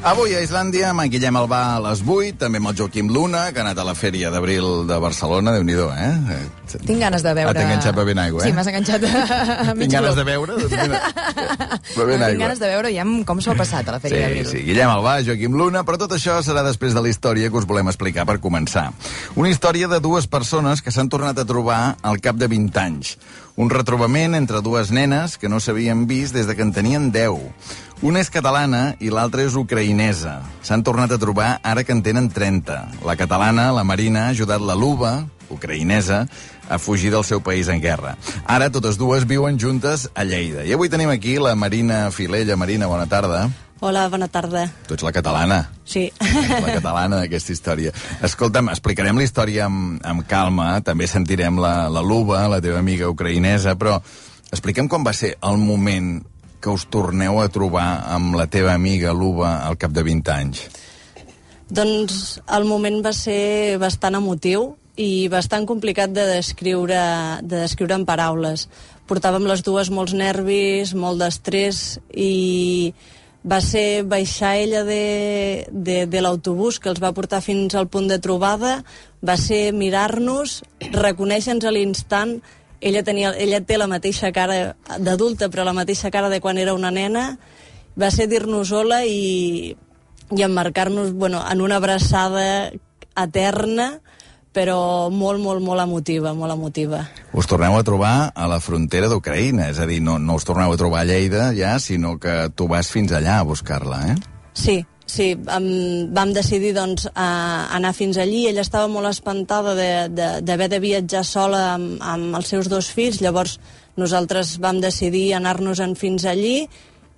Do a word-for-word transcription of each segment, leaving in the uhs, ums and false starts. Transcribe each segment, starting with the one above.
Avui a Islàndia amb en Guillem Albà a les vuit, també amb el Joaquim Luna, que ha anat a la Fèria d'Abril de Barcelona. Déu-n'hi-do, eh? Tinc ganes de veure... Ah, t'he enganxat bevent aigua, eh? Sí, m'has enganxat a mig Tinc ganes club. de veure? Doncs mira, bevent no, aigua. tinc ganes de veure ja com s'ho ha passat a la Fèria sí, d'Abril. Sí, Guillem Albà, Joaquim Luna, però tot això serà després de la història que us volem explicar per començar. Una història de dues persones que s'han tornat a trobar al cap de vint anys. Un retrobament entre dues nenes que no s'havien vist des de que en tenien deu. Una és catalana i l'altra és ucraïnesa. S'han tornat a trobar ara que en tenen trenta. La catalana, la Marina, ha ajudat la Luba, ucraïnesa, a fugir del seu país en guerra. Ara totes dues viuen juntes a Lleida. I avui tenim aquí la Marina Filella. Marina, bona tarda. Hola, bona tarda. Tu ets la catalana. Sí. La catalana d'aquesta història. Escolta'm, explicarem la història amb, amb calma, també sentirem la, la Luba, la teva amiga ucraïnesa, però explica'm com va ser el moment que us torneu a trobar amb la teva amiga Luba al cap de vint anys. Doncs el moment va ser bastant emotiu i bastant complicat de descriure, de descriure en paraules. Portàvem les dues molts nervis, molt d'estrès, i va ser baixar ella de, de, de l'autobús que els va portar fins al punt de trobada, va ser mirar-nos, reconèixer-nos a l'instant. Ella, tenia, ella té la mateixa cara d'adulta, però la mateixa cara de quan era una nena. Va ser dir-nos hola i, i emmarcar-nos, bueno, en una abraçada eterna, però molt, molt, molt emotiva, molt emotiva. Us torneu a trobar a la frontera d'Ucraïna, és a dir, no, no us torneu a trobar a Lleida ja, sinó que tu vas fins allà a buscar-la, eh? Sí, sí, um, vam decidir doncs, a anar fins allí. Ella estava molt espantada d'haver de, de viatjar sola amb, amb els seus dos fills, llavors nosaltres vam decidir anar-nos-en fins allí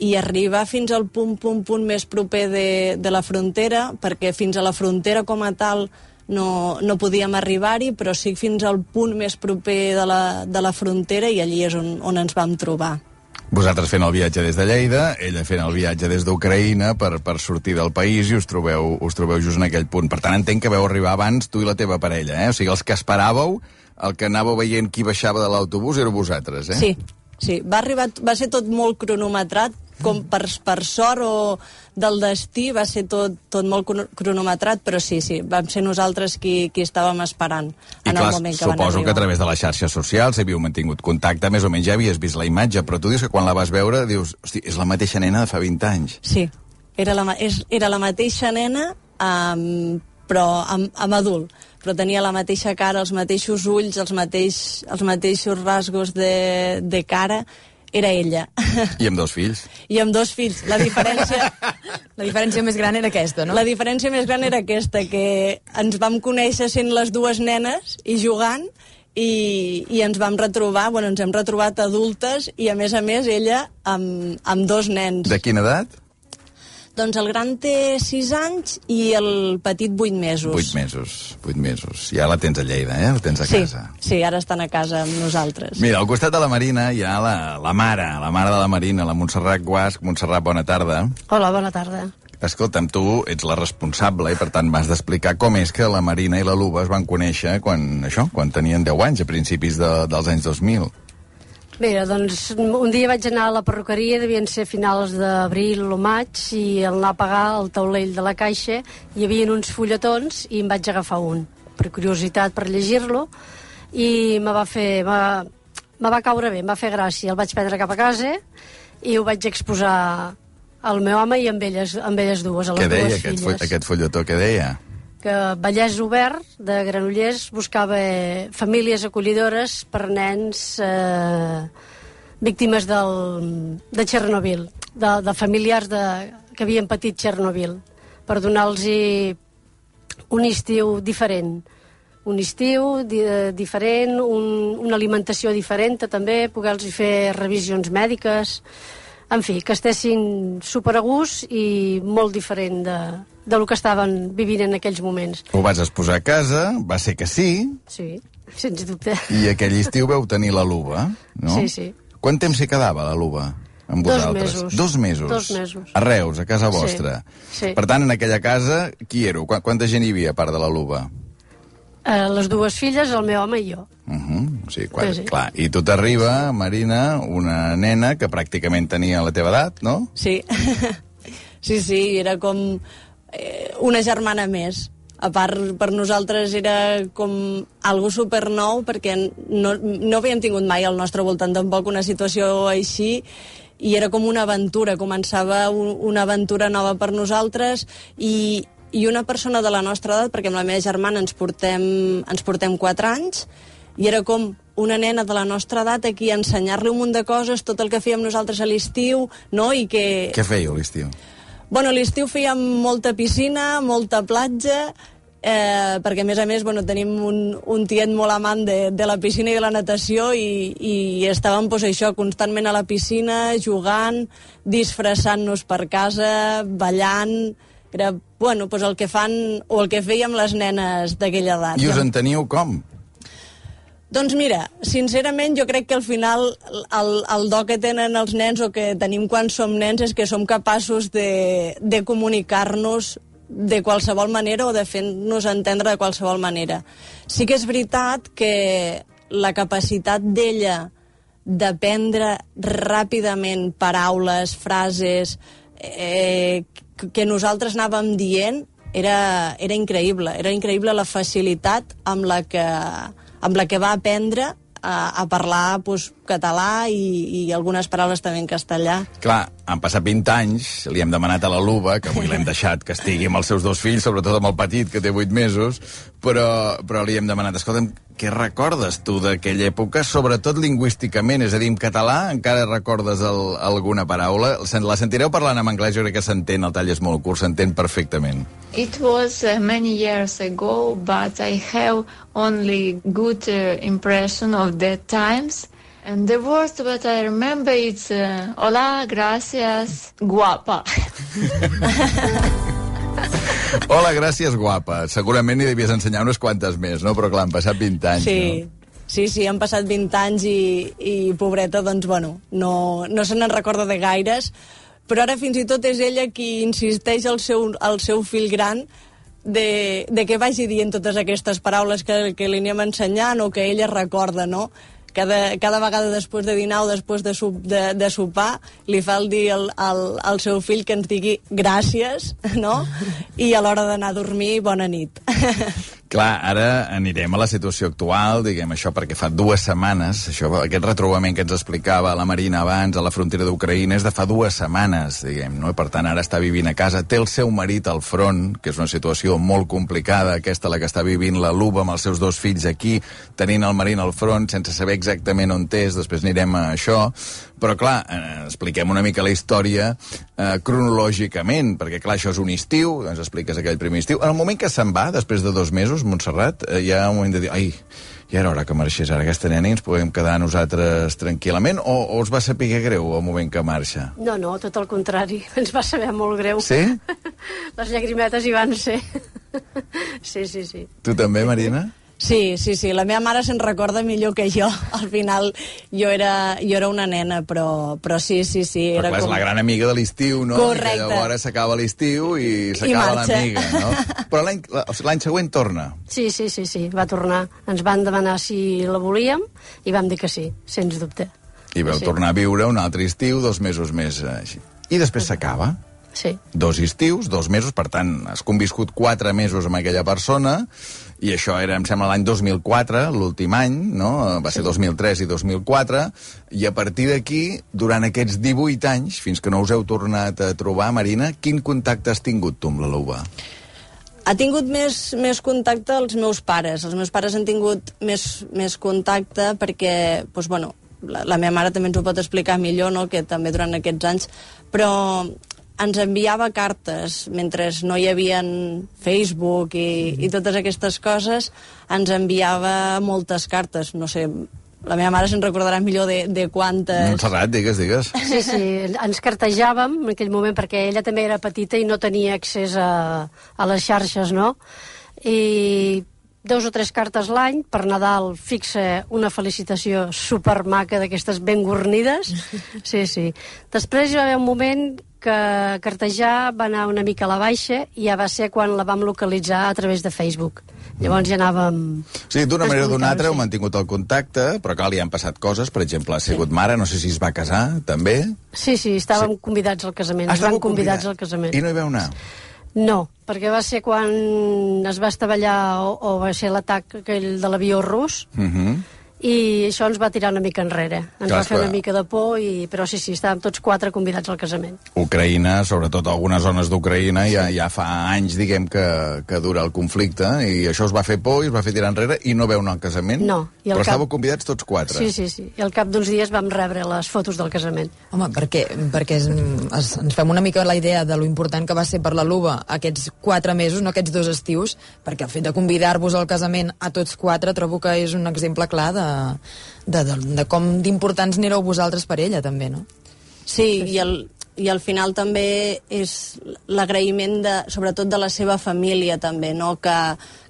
i arribar fins al punt, punt, punt més proper de, de la frontera, perquè fins a la frontera com a tal no, no podíem arribar-hi, però sí fins al punt més proper de la, de la frontera, i allí és on, on ens vam trobar. Vosaltres fent el viatge des de Lleida, ella fent el viatge des d'Ucraïna per, per sortir del país, i us trobeu, us trobeu just en aquell punt. Per tant, entenc que vau arribar abans tu i la teva parella, eh? O sigui, els que esperàveu, el que anàveu veient qui baixava de l'autobús, éreu vosaltres, eh? Sí, sí. Va, arribar, va ser tot molt cronometrat, com per, per sort o del destí, va ser tot, tot molt cronometrat, però sí, sí, vam ser nosaltres qui, qui estàvem esperant en I clar, el moment que van arribar. Suposo que a través de les xarxes socials havíeu mantingut contacte, més o menys ja havies vist la imatge, però tu dius que quan la vas veure dius, hosti, és la mateixa nena de fa vint anys. Sí, era la, és, era la mateixa nena, um, però amb, amb adult, però tenia la mateixa cara, els mateixos ulls, els, mateix, els mateixos rasgos de, de cara. Era ella. I amb dos fills. I amb dos fills. La diferència... La diferència més gran era aquesta, no? La diferència més gran era aquesta, que ens vam conèixer sent les dues nenes i jugant, i, i ens vam retrobar, bueno, ens hem retrobat adultes, i a més a més ella amb, amb dos nens. De quina edat? Doncs el gran té sis anys i el petit vuit mesos. Vuit mesos, vuit mesos. Ja la tens a Lleida, eh? La tens a sí, casa. Sí, ara estan a casa amb nosaltres. Mira, al costat de la Marina hi ha la, la mare, la mare de la Marina, la Montserrat Guasc. Montserrat, bona tarda. Hola, bona tarda. Escolta'm, tu ets la responsable i per tant m'has d'explicar com és que la Marina i la Luba es van conèixer quan, això, quan tenien deu anys, a principis de, dels anys dos mil. Bé, doncs un dia vaig anar a la perruqueria, devien ser finals d'abril o maig, i al anar a pagar el taulell de la caixa hi havia uns fulletons i em vaig agafar un, per curiositat, per llegir-lo, i me va fer... me va caure bé, em va fer gràcia. El vaig prendre cap a casa i ho vaig exposar al meu home i amb elles, amb elles dues, a les dues filles. Què deia aquest, fo aquest fulletó? Què deia? Que Vallès Obert, de Granollers, buscava famílies acollidores per nens eh, víctimes del, de Txernòbil, de, de familiars de, que havien patit Txernòbil, per donar-los un estiu diferent. Un estiu di, diferent, un, una alimentació diferent, també, poder-los fer revisions mèdiques, en fi, que estessin super a gust i molt diferent de, del que estaven vivint en aquells moments. Ho vas exposar a casa, va ser que sí. Sí, sens dubte. I aquell estiu veu tenir la Luba, no? Sí, sí. Quant temps s'hi quedava, la Luba, amb vosaltres? Dos mesos. Dos mesos? Dos mesos. A Reus, a casa vostra. Sí, sí. Per tant, en aquella casa, qui éreu? Quanta gent hi havia, a part de la Luba? Eh, les dues filles, el meu home i jo. Uh -huh. Sí, quan, Sí, sí. clar. I tu t'arriba, Marina, una nena que pràcticament tenia la teva edat, no? Sí. Sí, sí, era com eh, una germana més. A part, per nosaltres era com algo supernou, perquè no, no havíem tingut mai al nostre voltant tampoc una situació així, i era com una aventura, començava un, una aventura nova per nosaltres, i, i una persona de la nostra edat, perquè amb la meva germana ens portem, ens portem quatre anys, i era com una nena de la nostra edat aquí a ensenyar-li un munt de coses, tot el que fèiem nosaltres a l'estiu, no? I que... Què fèieu a l'estiu? Bueno, a l'estiu fèiem molta piscina, molta platja, eh, perquè a més a més bueno, tenim un, un tiet molt amant de, de la piscina i de la natació, i, i estàvem pues, això, constantment a la piscina, jugant, disfressant-nos per casa, ballant. Era bueno, pues, el que fan o el que fèiem les nenes d'aquella edat. I us enteníeu com? Doncs mira, sincerament jo crec que al final el, el do que tenen els nens o que tenim quan som nens és que som capaços de, de comunicar-nos de qualsevol manera o de fer-nos entendre de qualsevol manera. Sí que és veritat que la capacitat d'ella d'aprendre ràpidament paraules, frases eh, que nosaltres anàvem dient era, era increïble. Era increïble la facilitat amb la que... amb la que va aprendre a, a parlar pues, català i, i algunes paraules també en castellà. Clar, han passat vint anys, li hem demanat a la Luba, que avui l'hem deixat que estigui amb els seus dos fills, sobretot amb el petit, que té vuit mesos, però, però li hem demanat, escolta'm, què recordes tu d'aquella època, sobretot lingüísticament? És a dir, en català encara recordes el, alguna paraula? La sentireu parlant en anglès, jo crec que s'entén, el tall és molt curt, s'entén perfectament. It was uh, many years ago, but I have only good uh, impression of that times. And the word that I remember is uh, hola, gracias, guapa. Hola, gràcies, guapa. Segurament n'hi devies ensenyar unes quantes més, no? Però clar, han passat vint anys, sí. no? Sí, sí, han passat vint anys i, i pobreta, doncs, bueno, no, no se n'en recorda de gaires, però ara fins i tot és ella qui insisteix al seu, al seu fill gran de, de que vagi dient totes aquestes paraules que, que li anem ensenyant o que ella recorda, no? Cada, cada vegada després de dinar o després de, sup, de, de sopar li fa el dir al, al, al seu fill que ens digui gràcies, no? I a l'hora d'anar a dormir, bona nit. Clar, ara anirem a la situació actual, diguem això, perquè fa dues setmanes, això, aquest retrobament que ens explicava la Marina abans, a la frontera d'Ucraïna, és de fa dues setmanes, diguem, no? I per tant ara està vivint a casa, té el seu marit al front, que és una situació molt complicada, aquesta la que està vivint la Luba amb els seus dos fills aquí, tenint el marit al front, sense saber exactament on és, després anirem a això, però clar, eh, expliquem una mica la història eh, cronològicament, perquè clar, això és un estiu, ens expliques aquell primer estiu, en el moment que se'n va, després de dos mesos, Montserrat, eh, hi ha un moment de dir, ai, ja era hora que marxés ara aquesta nena i ens podem quedar nosaltres tranquil·lament, o, o us va saber greu el moment que marxa? No, no, tot el contrari, ens va saber molt greu. Sí? Les llagrimetes hi van ser. Sí, sí, sí. Tu també, Marina? Sí, sí, sí, la meva mare se'n recorda millor que jo. Al final jo era, jo era una nena, però, però sí, sí, sí. Però era clar, com... és la gran amiga de l'estiu, no? Correcte. I que llavors s'acaba l'estiu i s'acaba l'amiga, no? Però l'any l'any següent torna. Sí, sí, sí, sí, va tornar. Ens van demanar si la volíem i vam dir que sí, sens dubte. I vau sí. tornar a viure un altre estiu, dos mesos més així. I després s'acaba. Sí. Dos estius, dos mesos, per tant, has conviscut quatre mesos amb aquella persona, i això era, em sembla, l'any dos mil quatre, l'últim any, no? Va ser sí. dos mil tres i dos mil quatre, i a partir d'aquí, durant aquests divuit anys, fins que no us heu tornat a trobar, Marina, quin contacte has tingut tu amb la Luba? Ha tingut més, més contacte els meus pares. Els meus pares han tingut més, més contacte perquè, doncs, bueno, la, la meva mare també ens ho pot explicar millor, no?, que també durant aquests anys, però ens enviava cartes, mentre no hi havia Facebook i, i totes aquestes coses, ens enviava moltes cartes, no sé, la meva mare se'n recordarà millor de, de quantes... Montserrat, digues, digues. Sí, sí, ens cartejàvem en aquell moment perquè ella també era petita i no tenia accés a, a les xarxes, no? I dos o tres cartes l'any, per Nadal fixa una felicitació supermaca d'aquestes ben gornides. Sí, sí. Després hi va haver un moment que cartejar va anar una mica a la baixa i ja va ser quan la vam localitzar a través de Facebook. Llavors ja anàvem... O sigui, d'una manera o d'una altra heu mantingut el contacte, però clar, li han passat coses. Per exemple, ha sigut mare, no sé si es va casar, també. Sí, sí, estàvem sí. convidats al casament. Ah, Ens van convidats convidats al casament. I no hi vau anar? No, perquè va ser quan es va estavellar o, o va ser l'atac aquell de l'avió rus, Mhm. Uh-huh. i això ens va tirar una mica enrere. Ens Clar, va fer clar. una mica de por, i... però sí, sí, estàvem tots quatre convidats al casament. Ucraïna, sobretot algunes zones d'Ucraïna, ja, ja fa anys, diguem, que, que dura el conflicte, i això us va fer por i us va fer tirar enrere, i no veu anar al casament? No. I Però cap... estàveu convidats tots quatre? Sí, sí, sí. I al cap d'uns dies vam rebre les fotos del casament. Home, perquè, perquè es, es, ens fem una mica la idea de lo important que va ser per la Luba aquests quatre mesos, no aquests dos estius, perquè el fet de convidar-vos al casament a tots quatre trobo que és un exemple clar de, de, de, de com d'importants n'éreu vosaltres per ella, també, no? Sí, i al, i al final també és l'agraïment, de, sobretot de la seva família, també, no? que,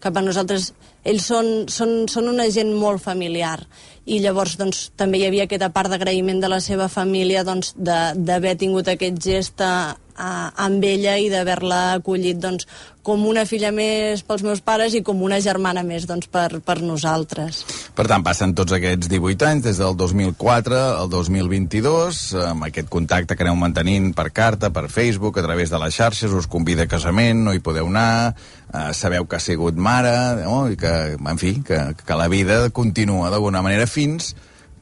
que per nosaltres ells són, són, són una gent molt familiar, i llavors doncs, també hi havia aquesta part d'agraïment de la seva família, doncs, d'haver tingut aquest gest a, a, amb ella i d'haver-la acollit doncs, com una filla més pels meus pares i com una germana més doncs, per, per nosaltres. Per tant, passen tots aquests divuit anys, des del dos mil quatre al dos mil vint-i-dos, amb aquest contacte que aneu mantenint per carta, per Facebook, a través de les xarxes, us convida a casament, no hi podeu anar, eh, sabeu que ha sigut mare, no? I que, en fi, que, que la vida continua d'alguna manera fins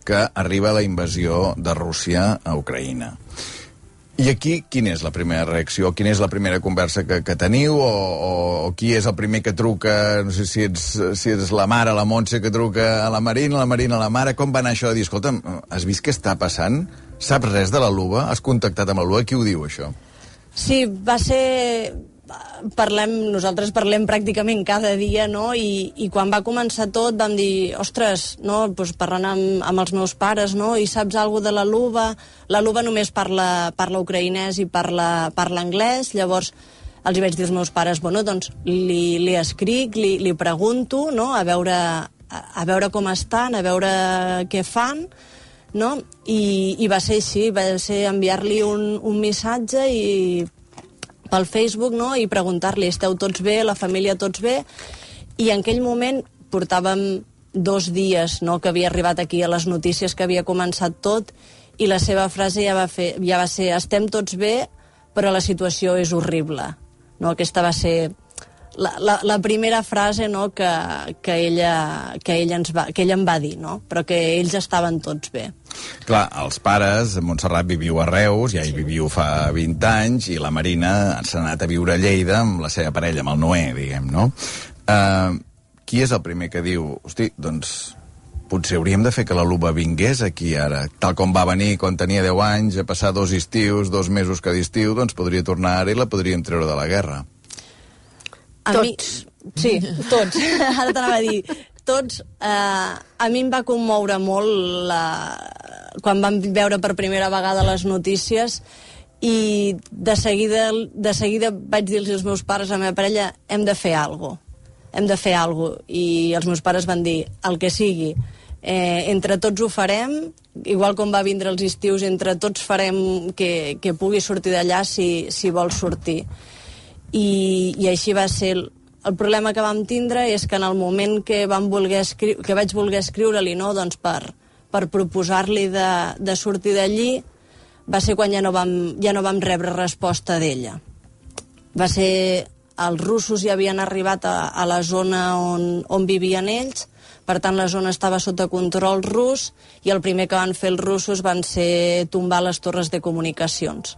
que arriba la invasió de Rússia a Ucraïna. I aquí, quina és la primera reacció? Quina és la primera conversa que, que teniu? O, o, o qui és el primer que truca? No sé si ets, si ets la mare, la Montse, que truca a la Marina, la Marina a la mare. Com va anar això de dir, escolta'm, has vist què està passant? Saps res de la Luba? Has contactat amb la Luba? Qui ho diu, això? Sí, va ser... Parlem, nosaltres parlem pràcticament cada dia, no? I, i quan va començar tot vam dir, ostres, no? Pues parlant amb, amb els meus pares, no? I saps alguna de la Luba? La Luba només parla, parla ucraïnès i parla, parla anglès, llavors els hi vaig dir als meus pares, bueno, doncs li, li escric, li, li pregunto, no? A veure, a, a veure com estan, a veure què fan, no? I, i va ser així, va ser enviar-li un, un missatge i pel Facebook, no? I preguntar-li, esteu tots bé, la família tots bé? I en aquell moment portàvem dos dies, no?, que havia arribat aquí a les notícies, que havia començat tot, i la seva frase ja va, fer, ja va ser, estem tots bé, però la situació és horrible. No? Aquesta va ser la, la, la primera frase, no?, que, que, ella, que, ella ens va, que ella em va dir, no? Però que ells estaven tots bé. Clar, els pares, Montserrat viviu a Reus, ja hi viviu fa vint anys, i la Marina s'ha anat a viure a Lleida amb la seva parella, amb el Noé, diguem, no? Uh, qui és el primer que diu, hosti, doncs potser hauríem de fer que la Luba vingués aquí ara, tal com va venir quan tenia deu anys, a passar dos estius, dos mesos cada estiu, doncs podria tornar ara i la podríem treure de la guerra. A Tots. Mi, sí, tots. Ara t'anava a dir, tots. Eh, a mi em va commoure molt la, quan vam veure per primera vegada les notícies, i de seguida, de seguida vaig dir als meus pares, a la meva parella, hem de fer alguna cosa. Hem de fer alguna cosa. I els meus pares van dir, el que sigui, eh, entre tots ho farem, igual com va vindre els estius, entre tots farem que, que pugui sortir d'allà si, si vol sortir. I, i així va ser. El, el problema que vam tindre és que en el moment que, vam voler escri que vaig voler escriure-li, no, doncs per, per proposar-li de, de sortir d'allí, va ser quan ja no vam, ja no vam rebre resposta d'ella. Va ser... Els russos ja havien arribat a, a la zona on, on vivien ells, per tant la zona estava sota control rus, i el primer que van fer els russos van ser tombar les torres de comunicacions.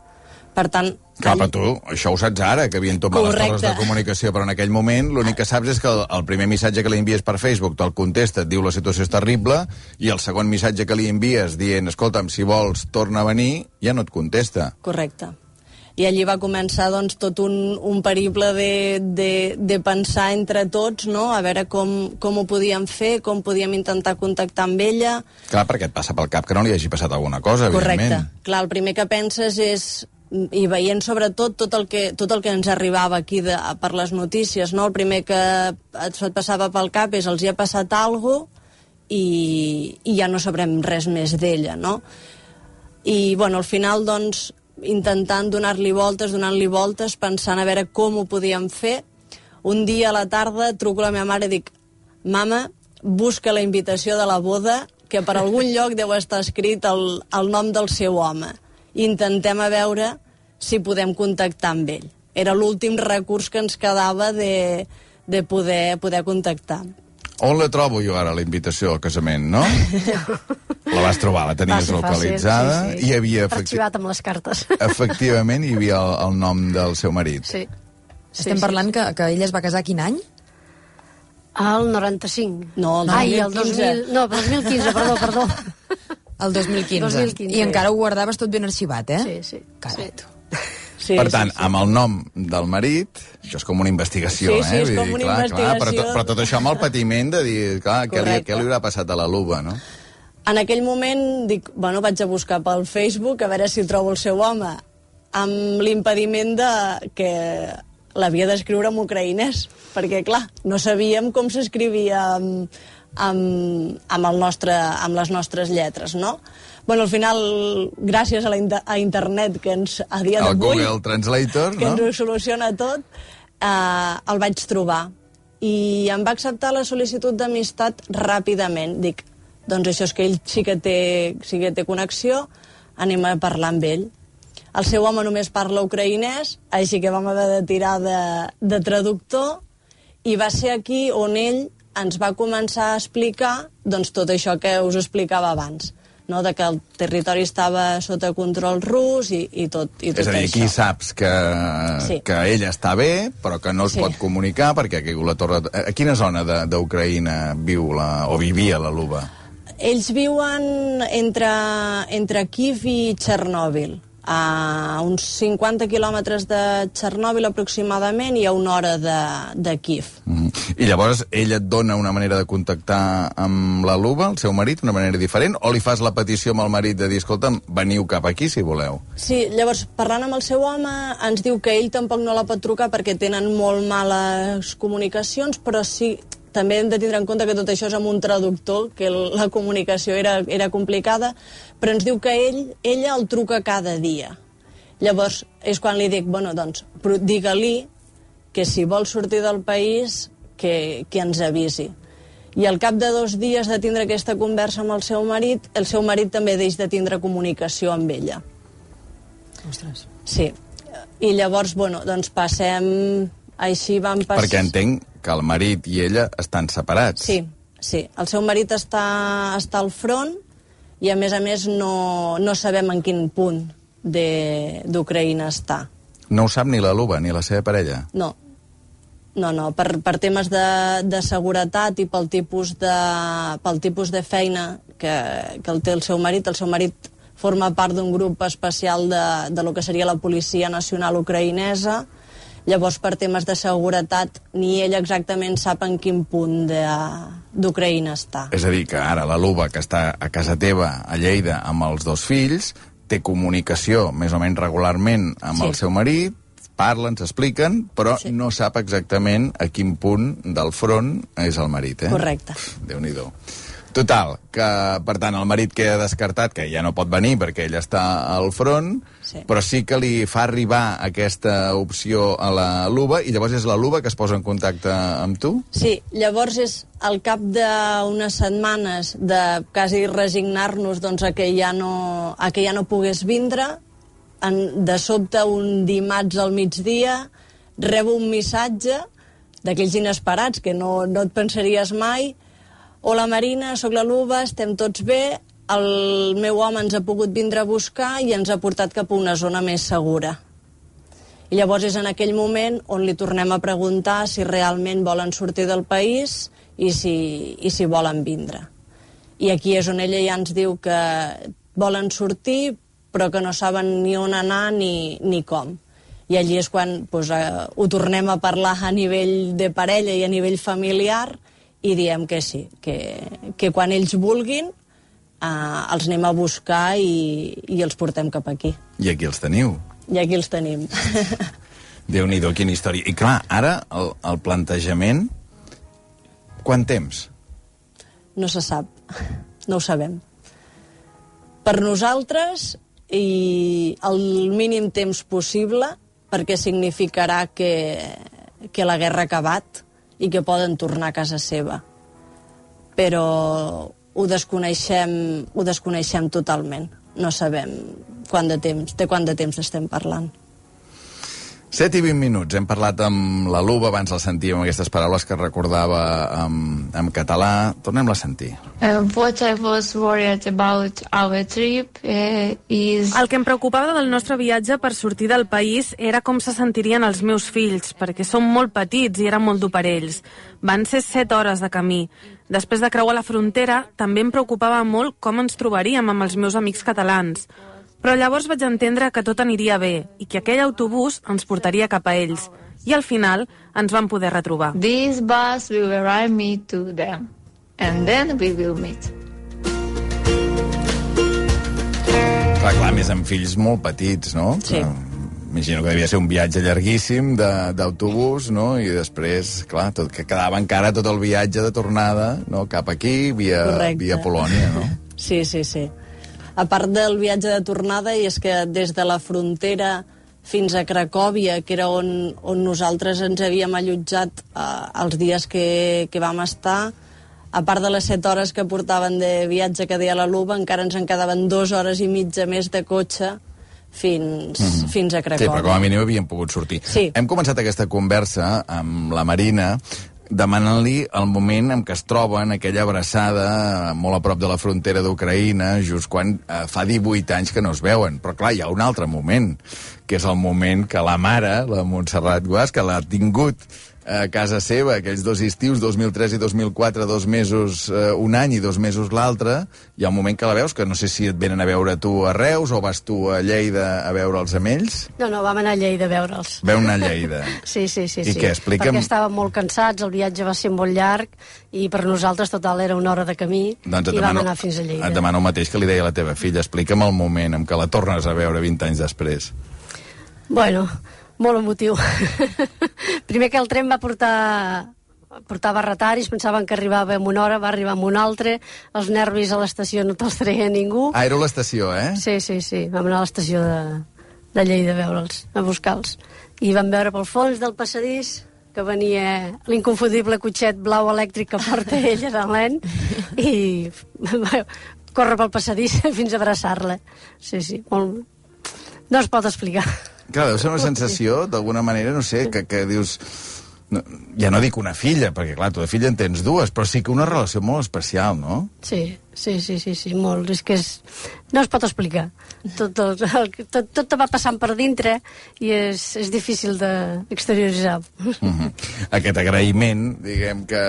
Per tant... Cap a tu, això ho saps ara, que havien tombat les torres de comunicació, però en aquell moment l'únic que saps és que el, el primer missatge que li envies per Facebook te'l contesta, et diu la situació és terrible, i el segon missatge que li envies dient, escolta'm, si vols, torna a venir, ja no et contesta. Correcte. I allí va començar doncs, tot un, un periple de, de, de pensar entre tots, no?, a veure com, com ho podíem fer, com podíem intentar contactar amb ella. Clar, perquè et passa pel cap que no li hagi passat alguna cosa, evidentment. Correcte. Clar, el primer que penses és, i veient sobretot tot el que, tot el que ens arribava aquí de, per les notícies, no?, el primer que et passava pel cap és els hi ha passat alguna cosa i, i ja no sabrem res més d'ella, no? I, bueno, al final, doncs, intentant donar-li voltes, donant-li voltes, pensant a veure com ho podíem fer. Un dia a la tarda truco a la meva mare i dic: mama, busca la invitació de la boda, que per algun lloc deu estar escrit el, el nom del seu home. Intentem a veure si podem contactar amb ell. Era l'últim recurs que ens quedava de, de poder, poder contactar. On la trobo jo ara, la invitació al casament, no? La vas trobar, la tenies Fàcil, localitzada. fàcil, sí, sí. I hi havia... Arxivat amb les cartes. Efectivament, hi havia el, el nom del seu marit. Sí. Estem sí, parlant sí. Que, que ella es va casar quin any? El noranta-cinc. No, el Ai, el dos mil dos mil... No, el dos mil quinze, perdó, perdó. El dos mil quinze. dos mil quinze. I encara ho guardaves tot ben arxivat, eh? Sí, sí. Carai, sí. tu. Sí, Per tant, sí, sí. amb el nom del marit, això és com una investigació, Sí, sí, eh? és Vull com dir, una clar, clar, però, investigació. tot, però tot això amb el patiment de dir, clar, què li, Correcte. què li haurà passat a la Luba, no? En aquell moment dic, bueno, vaig a buscar pel Facebook a veure si trobo el seu home, amb l'impediment de que l'havia d'escriure en ucraïnès, perquè, clar, no sabíem com s'escrivia amb, amb, amb, el nostre, amb les nostres lletres, no? Bueno, al final, gràcies a, la inter a internet, que ens, a dia El d'avui... Google Translator, que no? ens ho soluciona tot, eh, el vaig trobar. I em va acceptar la sol·licitud d'amistat ràpidament. Dic, doncs això és que ell sí que té, sí que té connexió, anem a parlar amb ell. El seu home només parla ucraïnès, així que vam haver de tirar de, de traductor, i va ser aquí on ell ens va començar a explicar doncs, tot això que us explicava abans, no? De que el territori estava sota control rus i, i tot, i tot És a dir, això. aquí saps que, Sí. que ella està bé, però que no es Sí. pot comunicar perquè aquí la torre... A quina zona de- d'Ucraïna viu la, o vivia la Luba? Ells viuen entre, entre Kiev i Txernòbil, a uns cinquanta quilòmetres de Txernòbil aproximadament i a una hora de, de Kiev. Mm. I llavors ell et dona una manera de contactar amb la Luba, el seu marit, una manera diferent, o li fas la petició amb el marit de dir, escolta'm, veniu cap aquí si voleu? Sí, llavors, parlant amb el seu home, ens diu que ell tampoc no la pot trucar perquè tenen molt males comunicacions, però sí, també hem de tindre en compte que tot això és amb un traductor, que la comunicació era, era complicada, però ens diu que ell, ella el truca cada dia. Llavors, és quan li dic, bueno, doncs, digue-li que si vol sortir del país, que, que ens avisi. I al cap de dos dies de tindre aquesta conversa amb el seu marit, el seu marit també deix de tindre comunicació amb ella. Ostres. Sí. I llavors, bueno, doncs passem... Així vam passar... Perquè entenc que el marit i ella estan separats. Sí, sí. El seu marit està, està al front i, a més a més, no, no sabem en quin punt d'Ucraïna està. No ho sap ni la Luba, ni la seva parella? No. No, no. Per, per temes de, de seguretat i pel tipus de, pel tipus de feina que, que el té el seu marit, el seu marit forma part d'un grup especial de, de lo que seria la Policia Nacional Ucraïnesa. Llavors, per temes de seguretat, ni ell exactament sap en quin punt d'Ucraïna està. És a dir, que ara la Luba, que està a casa teva, a Lleida, amb els dos fills, té comunicació més o menys regularment amb Sí. el seu marit, parlen, s'expliquen, però Sí. no sap exactament a quin punt del front és el marit, eh? Correcte. Déu-n'hi-do. Total, que, per tant, el marit queda descartat, que ja no pot venir perquè ell està al front, Sí. però sí que li fa arribar aquesta opció a la Luba, i llavors és la Luba que es posa en contacte amb tu? Sí, llavors és al cap d'unes setmanes de quasi resignar-nos doncs, a, que ja no, a que ja no pogués vindre, en, de sobte un dimarts al migdia rebo un missatge d'aquells inesperats que no, no et pensaries mai. Hola Marina, sóc la Luba, estem tots bé, el meu home ens ha pogut vindre a buscar i ens ha portat cap a una zona més segura. I llavors és en aquell moment on li tornem a preguntar si realment volen sortir del país i si, i si volen vindre. I aquí és on ella ja ens diu que volen sortir però que no saben ni on anar ni, ni com. I allí és quan doncs, eh, ho tornem a parlar a nivell de parella i a nivell familiar i diem que sí, que, que quan ells vulguin eh, els anem a buscar i, i els portem cap aquí. I aquí els teniu. I aquí els tenim. Déu-n'hi-do, quina història. I clar, ara el, el plantejament... Quant temps? No se sap, no ho sabem. Per nosaltres, i el mínim temps possible, perquè significarà que, que la guerra ha acabat i que poden tornar a casa seva. Però ho desconeixem, ho desconeixem totalment. No sabem quant de temps, de quant de temps estem parlant. set i vint minuts. Hem parlat amb la Luba, abans la sentíem, aquestes paraules que recordava en, en català. Tornem-la a sentir. Uh, what I was worried about our trip uh, is... El que em preocupava del nostre viatge per sortir del país era com se sentirien els meus fills, perquè són molt petits i era molt dur per ells. Van ser set hores de camí. Després de creuar la frontera, també em preocupava molt com ens trobaríem amb els meus amics catalans. Però llavors vaig entendre que tot aniria bé i que aquell autobús ens portaria cap a ells. I al final ens vam poder retrobar. This bus will arrive me to them, and then we will meet. Clar, clar, més amb fills molt petits, no? Sí. Imagino que devia ser un viatge llarguíssim d'autobús, no? I després, clar, tot, que quedava encara tot el viatge de tornada, no? Cap aquí, via, via Polònia, no? Sí, sí, sí. A part del viatge de tornada, i és que des de la frontera fins a Cracòvia, que era on, on nosaltres ens havíem allotjat eh, els dies que, que vam estar, a part de les set hores que portaven de viatge que deia la Luba, encara ens en quedaven dues hores i mitja més de cotxe fins, mm-hmm. fins a Cracòvia. Sí, però com a mínim havíem pogut sortir. Sí. Hem començat aquesta conversa amb la Marina demanant-li el moment en què es troben, aquella abraçada molt a prop de la frontera d'Ucraïna, just quan eh, fa divuit anys que no es veuen. Però clar, hi ha un altre moment, que és el moment que la mare, la Montserrat Guas, que l'ha tingut a casa seva, aquells dos estius, dos mil tres i dos mil quatre, dos mesos eh, un any i dos mesos l'altre, hi ha un moment que la veus, que no sé si et venen a veure tu a Reus o vas tu a Lleida a veure'ls amb ells? No, no, vam anar a Lleida a veure'ls. Veu anar a Lleida. Sí, sí, sí. I sí. què, explica'm... Perquè estàvem molt cansats, el viatge va ser molt llarg i per nosaltres total era una hora de camí doncs i demano, vam anar fins a Lleida. Et demano el mateix que li deia a la teva filla. Explica'm el moment en què la tornes a veure vint anys després. Bueno, molt emotiu. Primer que el tren va portar portava retaris, pensaven que arribava en una hora, va arribar en una altra, els nervis a l'estació no te'ls treia ningú. Ah, era l'estació, eh? Sí, sí, sí, vam anar a l'estació de, de Lleida a veure'ls, a buscar-los. I vam veure pel fons del passadís que venia l'inconfundible cotxet blau elèctric que porta ella de l'en i córrer pel passadís fins a abraçar-la. Sí, sí, molt... no es pot explicar. Clar, deu ser una sensació, d'alguna manera, no sé, que, que dius... No, ja no dic una filla, perquè clar, tu de filla en tens dues, però sí que una relació molt especial, no? Sí, sí, sí, sí, sí molt. És que és... no es pot explicar. Tot, el, el, tot, tot te va passant per dintre i és, és difícil d'exterioritzar. Mm-hmm. Aquest agraïment, diguem, que,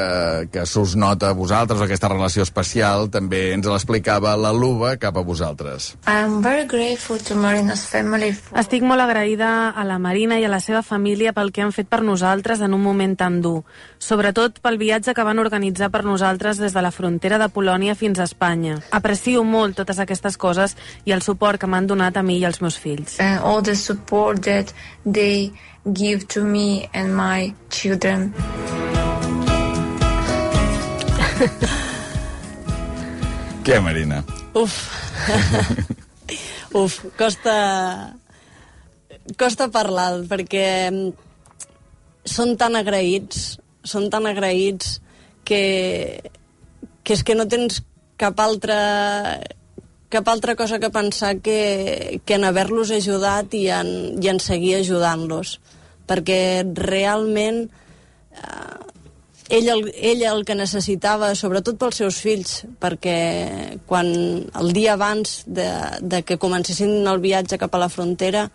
que s'us nota a vosaltres, aquesta relació especial, també ens l'explicava la Luba cap a vosaltres. I'm very grateful to Marina's family. For... Estic molt agraïda a la Marina i a la seva família pel que han fet per nosaltres en un moment tan dur. Sobretot pel viatge que van organitzar per nosaltres des de la frontera de Polònia fins a Espanya. Aprecio molt totes aquestes coses i el suport que m'han donat a mi i als meus fills. And all the support that they give to me and my children. Què, Marina? Uf. Uf, costa... costa parlar, perquè són tan agraïts, són tan agraïts que, que és que no tens cap altra... cap altra cosa que pensar que, que en haver-los ajudat i en, i en seguir ajudant-los. Perquè realment eh, ell, el, ell el que necessitava, sobretot pels seus fills, perquè quan el dia abans de, de que comencessin el viatge cap a la frontera,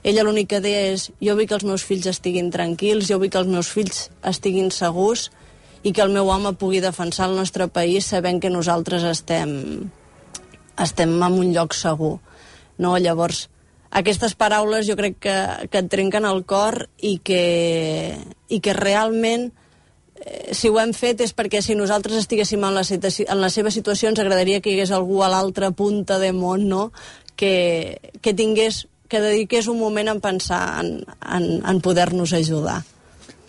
ella l'únic que deia és: jo vull que els meus fills estiguin tranquils, jo vull que els meus fills estiguin segurs i que el meu home pugui defensar el nostre país sabent que nosaltres estem... estem en un lloc segur, no? Llavors, aquestes paraules jo crec que, que et trenquen el cor i que, i que realment eh, si ho hem fet és perquè si nosaltres estiguéssim en la, en la seva situació ens agradaria que hi hagués algú a l'altra punta de món, no? Que, que tingués, que dediqués un moment a pensar en, en, en poder-nos ajudar.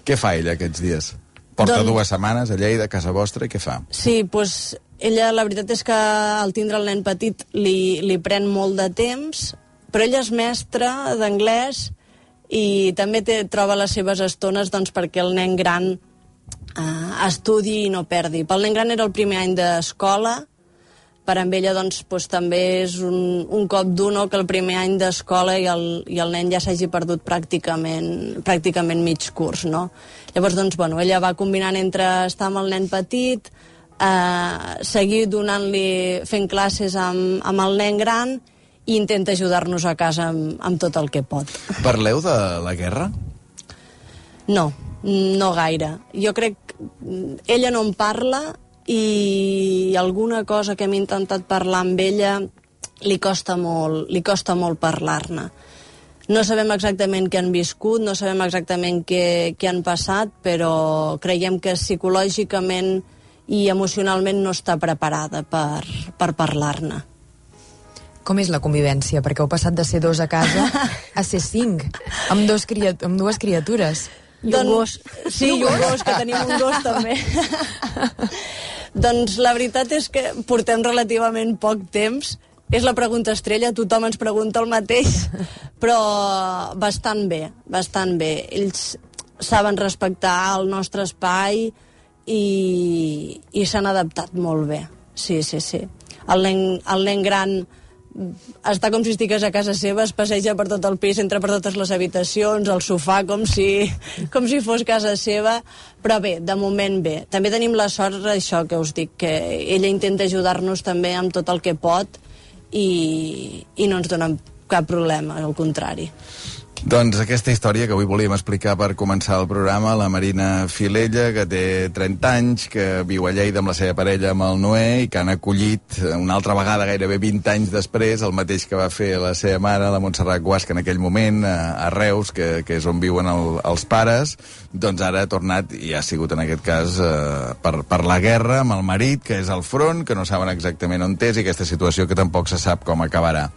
Què fa ella aquests dies? Porta doncs... dues setmanes a Lleida, a casa vostra, i què fa? Sí, doncs ella, la veritat és que al tindre el nen petit li, li pren molt de temps, però ella és mestra d'anglès i també té, troba les seves estones doncs, perquè el nen gran eh, estudi i no perdi. Pel nen gran era el primer any d'escola, per amb ella doncs, doncs, també és un, un cop dur, no?, que el primer any d'escola i, el, i el nen ja s'hagi perdut pràcticament, pràcticament mig curs, no? Llavors, doncs, bueno, ella va combinant entre estar amb el nen petit, eh, seguir donant-li, fent classes amb, amb el nen gran i intenta ajudar-nos a casa amb, amb tot el que pot. Parleu de la guerra? No, no gaire. Jo crec que ella no en parla i alguna cosa que hem intentat parlar amb ella li costa molt, li costa molt parlar-ne. No sabem exactament què han viscut, no sabem exactament què, què han passat, però creiem que psicològicament i emocionalment no està preparada per, per parlar-ne. Com és la convivència? Perquè heu passat de ser dos a casa a ser cinc, amb, dos criat amb dues criatures. I un gos. Sí, i un gos, que tenim un gos també. Doncs la veritat és que portem relativament poc temps. És la pregunta estrella, tothom ens pregunta el mateix, però bastant bé, bastant bé. Ells saben respectar el nostre espai i, i s'han adaptat molt bé. Sí, sí, sí. El nen, el nen gran està com si estigués a casa seva, es passeja per tot el pis, entra per totes les habitacions, al sofà, com si, com si fos casa seva, però bé, de moment bé. També tenim la sort, això que us dic, que ella intenta ajudar-nos també amb tot el que pot i, i no ens dona cap problema, al contrari. Doncs aquesta història que avui volíem explicar per començar el programa, la Marina Filella, que té trenta anys, que viu a Lleida amb la seva parella, amb el Noé, i que han acollit una altra vegada, gairebé vint anys després, el mateix que va fer la seva mare, la Montserrat Guasca, en aquell moment, a Reus, que, que és on viuen el, els pares. Doncs ara ha tornat, i ha sigut en aquest cas eh, per, per la guerra amb el marit, que és al front, que no saben exactament on és, i aquesta situació que tampoc se sap com acabarà.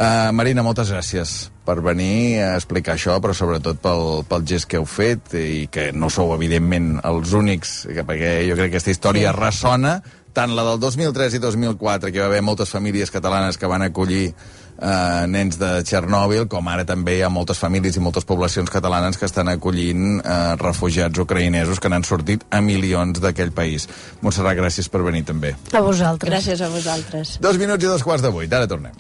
Uh, Marina, moltes gràcies per venir a explicar això, però sobretot pel, pel gest que heu fet, i que no sou, evidentment, els únics, perquè jo crec que aquesta història sí. ressona, tant la del dos mil tres i dos mil quatre, que va haver moltes famílies catalanes que van acollir uh, nens de Txernòbil, com ara també hi ha moltes famílies i moltes poblacions catalanes que estan acollint uh, refugiats ucraïnesos que n'han sortit a milions d'aquell país. Montserrat, gràcies per venir també. A vosaltres. Gràcies a vosaltres. Dos minuts i dos quarts de vuit, ara tornem.